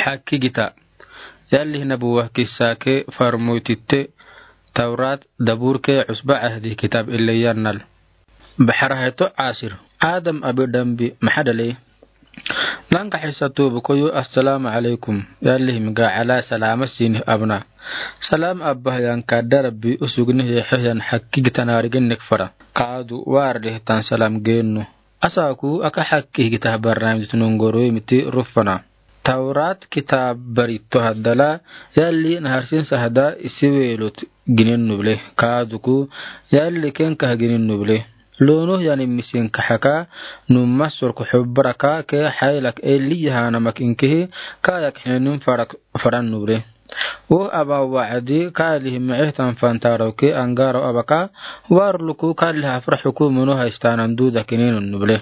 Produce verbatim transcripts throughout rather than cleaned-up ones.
Akkigita. Yalli nabuwa kissa ke farmoytitte Tawrat, Dabur ke Usba Ahdi kitab ille yannal. Baxara heto asir. Adam abi dambi maxa dhalei. Nanka xisa tubu koyu assalamu alaikum. Yalli himga ala salama sini abna. Salam abba hiyan kadda Rabbi usugni hiyan hakkigita narigen nek fara. Kadu warde tan salam gennu. Asaku aka hakkigita barnamij tunungoro miti rufana. Tawrat kitab barito haddala yalli naharsin sahda isiwelot ginen nuble. Kaduku yalli kenka ginen nuble. Lono yani misin kahaka numa sorko hubbaraka ke haylak eli yahana mak inkihi kayak henin farak faran nuble. Wo aba wa'adi kalihi mi'ihtan fantaro ke angaro abaka warluku kalihi afra hukumunu haystanan duda kinin nuble.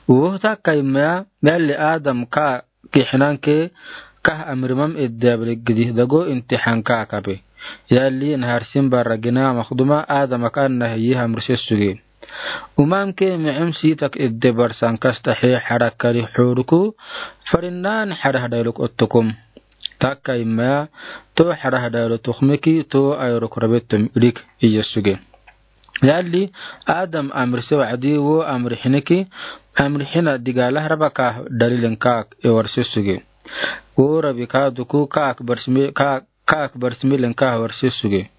Wo takka imaya yalli Adam ka kihinanke kah amrimam edde ablegidi dago inti hanka kabe. Yalli naharsin barra gina makduma Adam aka anna hiyi hamri sessuge. Umamke mi'im sitak edde barsan kasta he harakari huruku farinnan harah dailuk ottukum. Takka imaya to harah dailu tukmiki to ayruk rabetum idik iyessuge. Yalli Adam amri se wa'adi wo amri hiniki amri hina digalah rabaka dalilin kaak ewarsesuge. Wo rabi kaduku kaak barsmi kaak kaak barsmilin kaak warsesuge.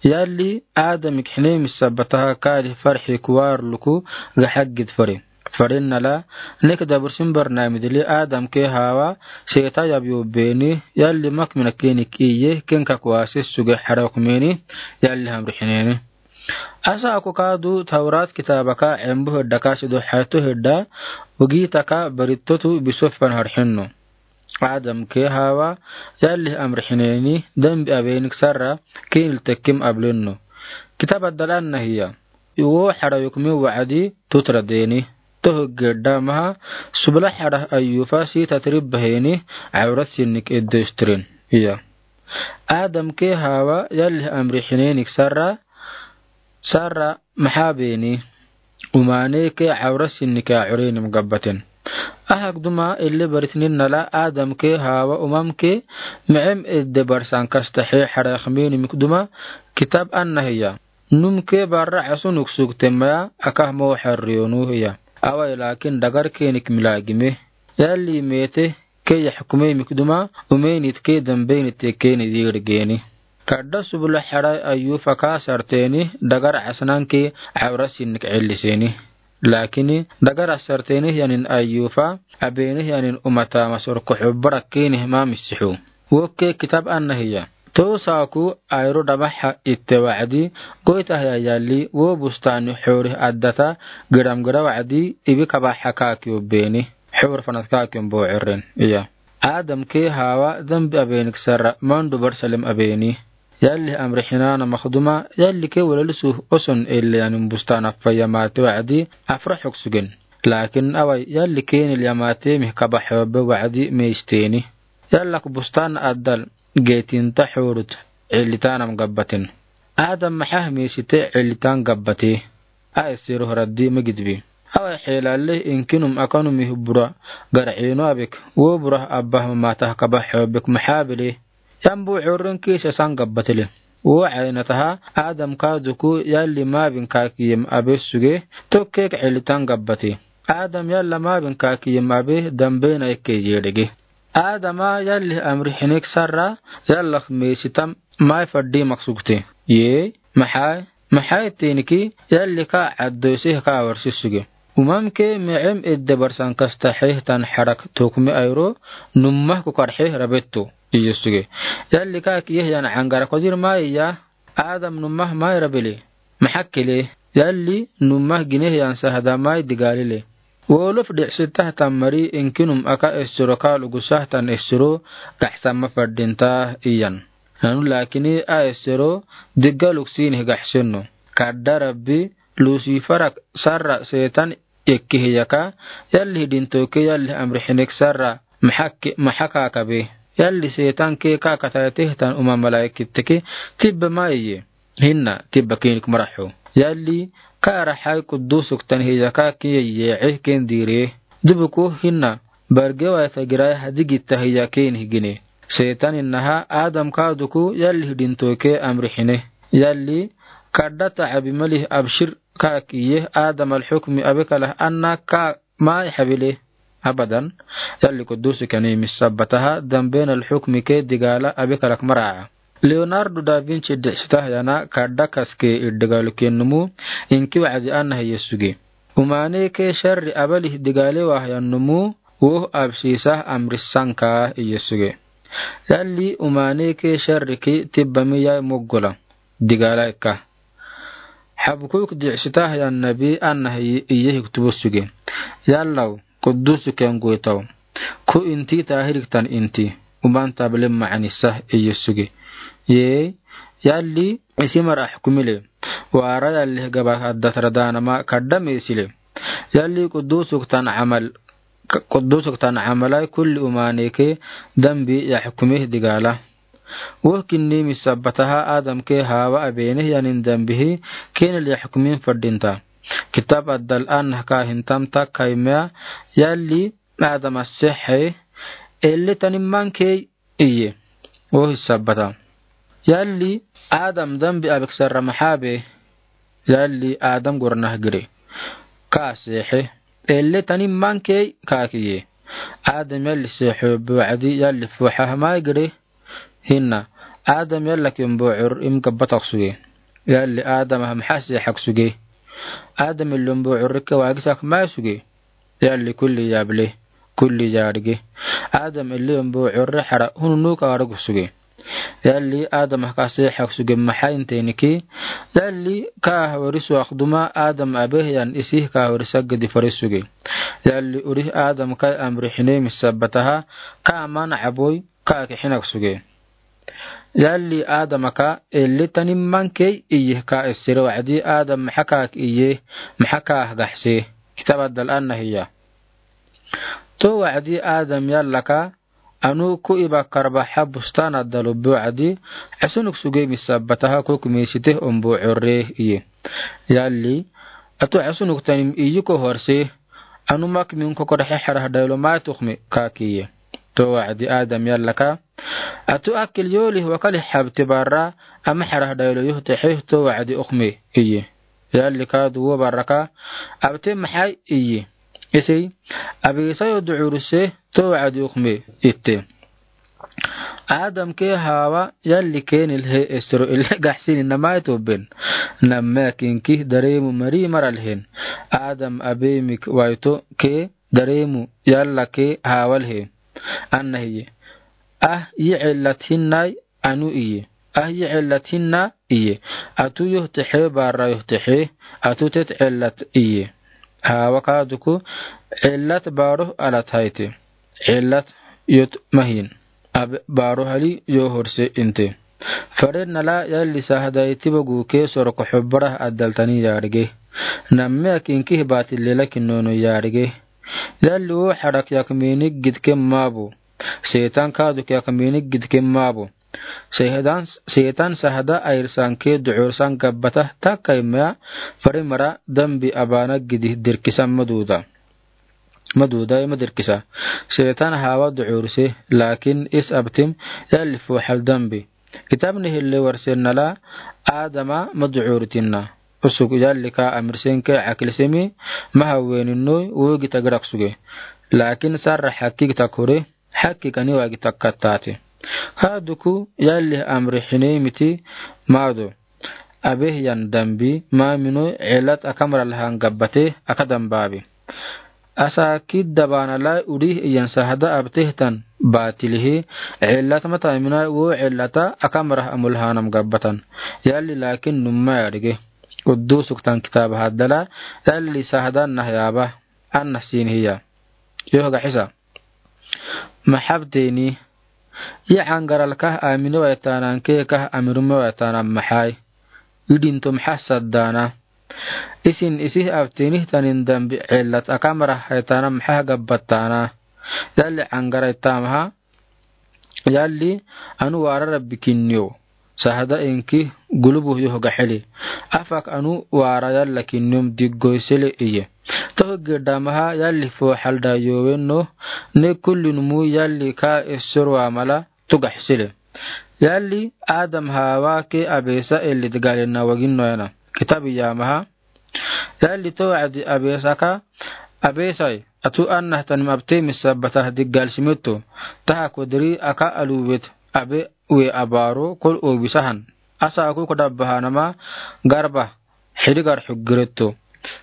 Yalli Adam ik hine misabataha kali farhi kuwar luku gahagid fari. Farin nala nek dabursin barnamidili Adam ke Hawa seta yabyo beni yalli mak mina kenik iye kenka kuwasesuge harak meni yalli hamri hineni. Asa aku kadu Tawrat kitabaka embu hedda kasidu hatu hedda ugitaka baritotu bisofan harhenno. Adam ke Hawa yalli amri hineni dambi abenik sarra kinil tekkim ablenno. Kitaba dalanna hiya. Iwo hara yukmi wa'adi tutra deni. Tohu gedda maha subla hara ayufa sita tribba heni awrat sinnik edde istrin. Iya. Adam ke Hawa yalli amri hinenik sarra sarra maxa beni. Umane ke awra sinni ke a urenim gabbaten. Ahak duma ille baritnin nala Adam ke Hawa umam ke mi'im edde barsan kasta he hara khmeni mik duma kitab anna hiya. Num ke barra asunuk suk temaya akah mo harriyonu hiya. Awai lakin dagar kenik milagime. Yalli mete ke yaxkume mik duma umenit ke dambenit ke ni yir geni. Kadda subula harai ayufa ka sarteni dagar asnan ke awra sinnik elliseni. Lakini dagar asarteni yanin ayufa abeni yanin umata masur kuxu barak keni ma misihu. Wokke kitab anna hiya. To saku ayru dabaha itte wa'adi goita hiya yalli wo bustani huri addata giram gira wa'adi ibi kabaha kaki ubbeni. Hur fanat kaki umbo erren. Iya. Adam ke Hawa dambi abenik sarra mandu Barsalem abeni. Yalli amri hinana makduma yalli ke walalisu oson elle yanin bustana faya mate wa'adi afra huksugen. Lakin awai yalli ke nil yamate mih kabaha be wa'adi meisteni. Yallak bustan addal getinta hurut ellitanam gabbaten. Adam maxa meisite ellitan gabbate. A essero haraddi magidbi. Awa xelalle inkinum akanumi bura gar'ino abek wo bura abba matah kabaho bek mahabele. Yambu urun kisa san gabbatele. Wo aynataha Adam kaduku yalli mabin kakiyem abe suge tokkek elitan gabbate. Adam yalla mabin kakiyem abe dambena ikke yedege. Adama yalli amri hinik sarra yallak meisitam mai faddi maksugte. Ye, maxai, maxai teniki yalli ka addoise ka warsi suge. Umam ke mi'im edde barsan kasta heh tan harak tokmi ayro nummah kukar heh rabetto. Iye suge. Yalli ka kiyeh yan angara kodir mai ya. Adam nummah mai rabele. Maxakkele, yalli nummah gineh yan sahda mai digalile. Wolof di'sitah tan mari inkinum aka essero kal ugusah tan essero gaxsan ma fadinta iyan. Nanu lakini a essero diggaluk sinih gaxsenno. Kadda Rabbi Lusifarak sarra setan ekkihiyaka yalli hidintoke yalli amri hinik sarra maxakke maxakakabe. Yalli setan ke kakatayateh tan uma malaikitteke tibba maiye. Hinna tibba kinik maraxo. Yalli kara hay kudusuk tan hiyaka kiye ye'e ken dire. Dubuku hinna Bargewai fe girai hadi gita hiya keenih gine. Setan inaha Adam kaaduku yalli hidintoke amrixine. Yalli kadda tacabi malih abshir kaak iye Adam alxukmi abe kalah anna kaak mai xabile. Abadan. Yalli qudusu kani misabbataha damben alxukmi ke digala abe kalak maraca. Leonardo da Vinci dicsitah yana kadda kaske iddigalu kennumu inki wacdi anna hiye suge. Umaaneke sharri abalih digale wahyan numu woh absisah amrisanka iye suge. Yalli umaaneke sharri ki tibbami yai moggula digala ikka. Xabkuk dicsitah yan nabi anna hiye hiktubu suge. Yallaw qudusu ken goytaw. Ku inti tahiriktan inti. Uman tablim macanisa iye suge. Yee yalli isimar axkumile. Waara yalli gaba addatara daanama kadda meesile. Yalli qudusuktan camal qudusuktan camalai kulli umaaneke dambi yaxkumih digala. Woh kinni misabbataha Adam ke Hawa abeenih yanin dambihi keenil yaxkumin fadinta. Kitab addal annah kaahintam takkaimea yalli Adam assexe elle tanimman kei iye. Woh isabbata. Yalli Adam dambi abiksarra maxaa be. Yalli Adam gornah gire. Kaa seexe. Elle tanimman kei kaak iye. Adam yalli seexo be wacdi yalli fuxaha mai gire. Hinna Adam yalla ken bucur im gabbatak suge. Yalli Adam ah maxa seexak suge. Adam illon bucurrike waagisak mai suge. Yalli kulli yaable kulli yaadhige. Adam illiyon buucurre xara hununuk aadhug suge. Yalli Adam ah ka seexak suge maxainteeniki. Yalli kaah wari suwaq duma Adam abeh yan isih kaah wari saggedi fari suge. Yalli urih Adam kai amri xinemi sabbataha ka aman caboy kaak xinak suge. Yalli Adam aka elli tanimman key iye ka essere wacdi Adam maxa kaak iye maxa kaah gaxse. Kitab addal anna hiya. To wacdi Adam yallaka anu ku iba karbaxa bustan addal ubbi wacdi asunuk suge misabbataha kuk miisiteh umbu curre iye. Yalli atu asunuk tanim iye ko horse anu mak min kokodaxe xarah daylo mai tuxmi kaak iye. To wacdi Adam yallaka atu akil yoolih wakalih xabti barra ama xarah daylo yoh texe to wacdi uxmi iye. Yalli kaadu wo barraka abte maxay iye. Isey abigisayo ducuruse to wacdi uxmi itte. Adam ke Hawa yalli keenil he esro ille gaxsini namay tobben. Namme akinki dareemu mari maralhen. Adam abemik wayto ke dareemu yalla ke Hawa lhe. Anna hiye. Ah yi cellat hinnay anu iye. Ah yi cellat hinna iye. Atu yoh texe barra yoh texe atu tet cellat iye. Hawa kaaduku cellat baroh alat hayte. Cellat yot mahin. Abe baroh ali yo horse inte. Faren nala yalli sahdayti bagu ke soroko xubbarah addal tani yaadhige. Namme akinki baati lela kinnono yaadhige. Yalli wo xarak yak miinig gidke maabo. Seetan kaaduk yak miinig gidke maabo. Seetan sahda ayirsan ke ducursan gabbatah takkaimea fari mara dambi abaana gidih dirkisan maduuda. Maduuda ima dirkisa. Seetan Hawa ducurse laakin is abtim yalli fuxal dambi. Kitabni hille warsen nala Adama maducuritinna. Usuk yalli ka amirsenke akilsemi mahaweeninnoy wogi tagirak suge. Laakin sarra xakkik takure xakkik ani waagi takkattaate. Kaaduku yalli amri xineymiti maado. Abeh yan dambi maaminoy cellat akamralhan gabbate aka dambaabi. Asaakid dabaanalay udih iyan sahda abtehtan baatilihi cellat mataaminay wo cellata akamrah amulhanam gabbatan. Yalli laakin numma yaadhige. Uddusuktan kitaaba haddala yalli sahda annah yaaba annah siinihiya. Yoh gaxisa. Maxabteni. Yi cangaralkah aminewaytanan kekah amirummewaytanan maxay. Idinto maxa saddaana. Isin isih abtenih tanin dambi cellat akamrah haytanan maxa gabbattaana. Yalli cangaray tamaha. Yalli anu waara rabbi kinniyo. sahada inki gulubu yoh gaxili. Afak anu waara yalla kiniyom diggoysele iye. Tohi giddamaha yalli fooxalda yoowen no, ne kulli numu yalli ka esor waamala tu gaxsile. Yalli Adam Hawa ke abeesa elli dgalina wagin no yana. Kitabi yaamaha. Yalli to wacdi abeesa ka, abeesai, atu annahtanim abte misabata diggal simitto. Taha kodri aka aluwet abe we abaro kol obisahan. Asa aku kodabahanama garba hidigar xuggiretto.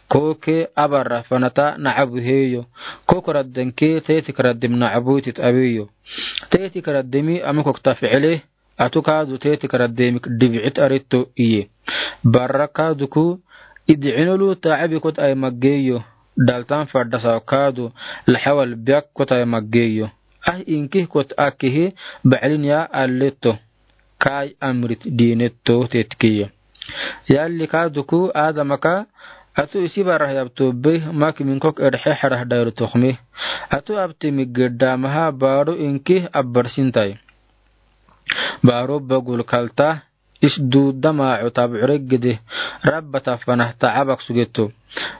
Koke abarra fanata nacabu heyo. Kokoradden ke tetikraddim nacabutit abeyo. Tetikaraddimi amikokta ficile. Atu kaadu tetikaraddemik dibicit aritto iye. Barra kaaduku idcinolu tacabikot ai maggeyo. Daltan fadasa kaadu laxawal biyakkot ai maggeyo. Ah inkihkot akkihi baclin yaa alletto. Kaay amrit diinetto tetkiye. Yalli kaaduku Adamaka atu isi barah yabto beh mak minkok edhe xarah dayru toxmi. Atu abti miggedamaha baaro inkih abbarsintai. Baaro bagul kalta is duudama utab uregede rabbata fanah tacabak sugetto.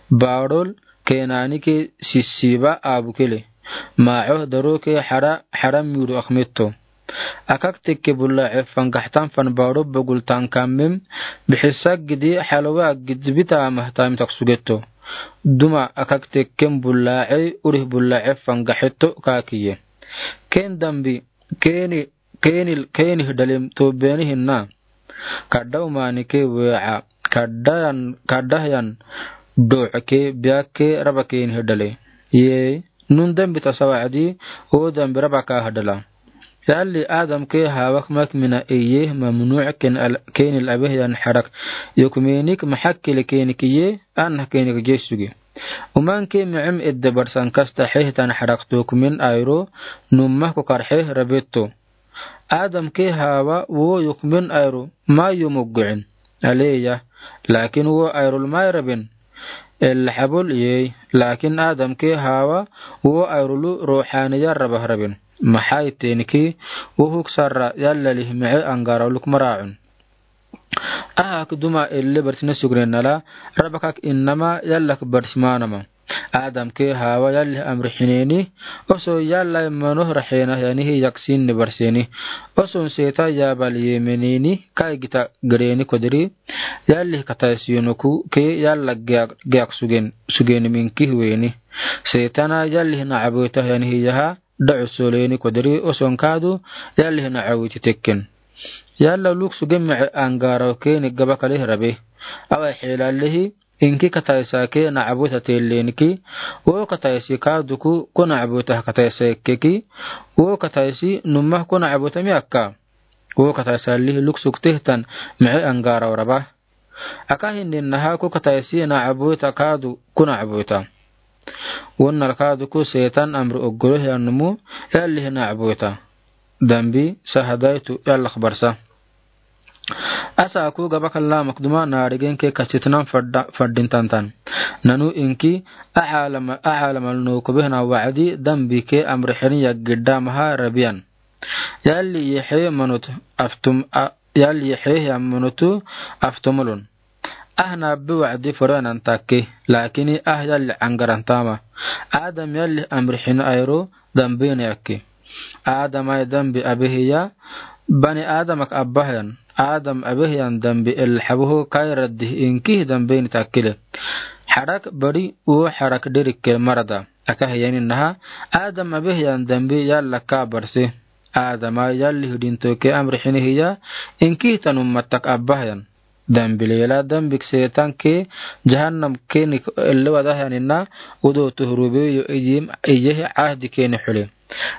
Baarol keenanike sissiba abukele. Maacoh daroke xara xara miru akmetto. Akak tekke bulla cefan gaxtan fan baaro bagul tankamem bixisagidi xalwa gidbita mahtamtak sugetto. Duma akak tekken bulla cey urih bulla cefan gaxetto kaakiye. Ken dambi keeni keenil keenih dalem to beenihina. Kadda umanike weeca kaddayan kaddahyan doocke biyakke raba keenih dale. Yee nun dambi tasawacdi oo dambi raba kaah dala. Yalli Adamke Hawak mak mina iye mamnuuc keenil abehyan xarak yokumenik maxakkele keenik iye annah keenik jesuge. Umanke micem edde barsan kasta xehtan xarak tokumen ayro nummah kokar xeh rabetto. Adamke Hawa woo yokumen ayro mayo moggoen. Aleya laakin woo ayrol may raben. Ella xabol iyey laakin Adamke Hawa woo ayrolu ruuxaaniya rabah raben. Maxay tenki woo huk sarra yallalih mice angarawluk maraacun. Ahak duma elle barsine sugnenala rabakak innama yallak barsimanama. Adamke Hawa yallih amrixineni oso yallay manoh raxena yanihi yaksinni barseni. Oson seeta yaabal yemeneni kai gita greni kodri yallih kataysiyenoku ke yalla giyak sugen sugen minkih weni. Seetana yallih nacaboyta yanihi yaha dacu soleni kodri oson kaadu yallih nacaboyti tekken. Yalla luk sugen mice angaraw keni gabakalih rabe. Away xeelallihi inki kataysake nacaboyta teelleniki woo kataysi kaaduku ko nacaboyta kataysa ekkeki woo kataysi nummah ko nacaboyta mi akka. Woo kataysallihi luk suk tehtan mice angaraw raba. Aka hinninnaha ko kataysi nacaboyta kaadu ko nacaboyta. Wonnal kaaduku seetan amri oggoloh yanumu yallih nacaboyta. Dambi sahadaytu yallak barsa. Asa aku gabakal lamak duma naarigenke kasitnan fadda faddin tantan. Nanu inki axaalamal nokobehna wacdi dambike amrixenin yaggidamaha rabiyan. Yalli yexee manot aftum a yalli yexee hiya manotu aftomolon. Ah nabbi wacdi foroyanan takke laakini ah yalli angarantama. Adam yalli amrixin ayro dambine akke. Adamay dambi abehiya bani adamak abbahyan. Adam abehiyan dambi elxaboho kayraddih inkih dambine takkile. Xarak bari woo xarak derikke marada. Aka hiyaninnaha adam abehiyan dambi yalla ka barse. Adama yalli hidintoke amrixini hiya inkih tanummattak abbahyan. Dambi leela dambik seetanke jahannam kenik ellewadahyanina udo tuhrubeyo iyim iyehi cahdi keni xule.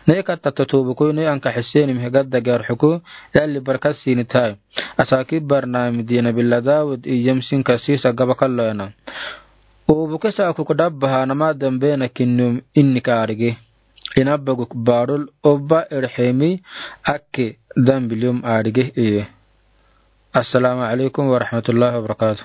Nei katta totobukoy nei anka xiseenim higadda garxuku yalli barka siinitahay. Asaki barnami dina billa dawud iyim sinka siisa gabakaloyana. Obuke saakuk dabbahanama dambena kinnum innika arige. Inabaguk barul obba erxemi akke dambilium arige iye. Assalamu alaikum warahmatullahi wabarakatuh.